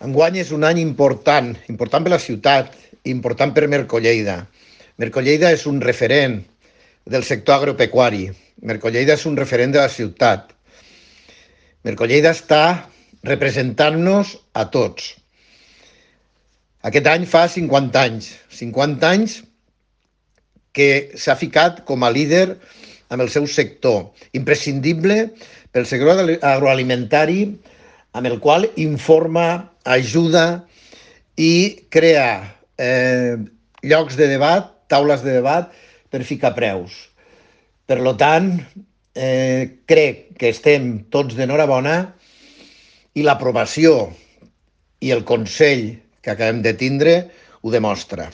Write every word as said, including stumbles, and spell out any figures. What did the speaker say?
Enguany és un any important, important per la ciutat, important per Mercolleida. Mercolleida és un referent del sector agropecuari. Mercolleida és un referent de la ciutat. Mercolleida està representant-nos a tots. Aquest any fa cinquanta anys. cinquanta anys que s'ha ficat com a líder amb el seu sector, imprescindible pel sector agroalimentari, amb el qual informa, ajuda i crea eh, llocs de debat, taules de debat per ficar preus. Per tant, eh, crec que estem tots d'enhorabona i l'aprovació i el consell que acabem de tindre ho demostra.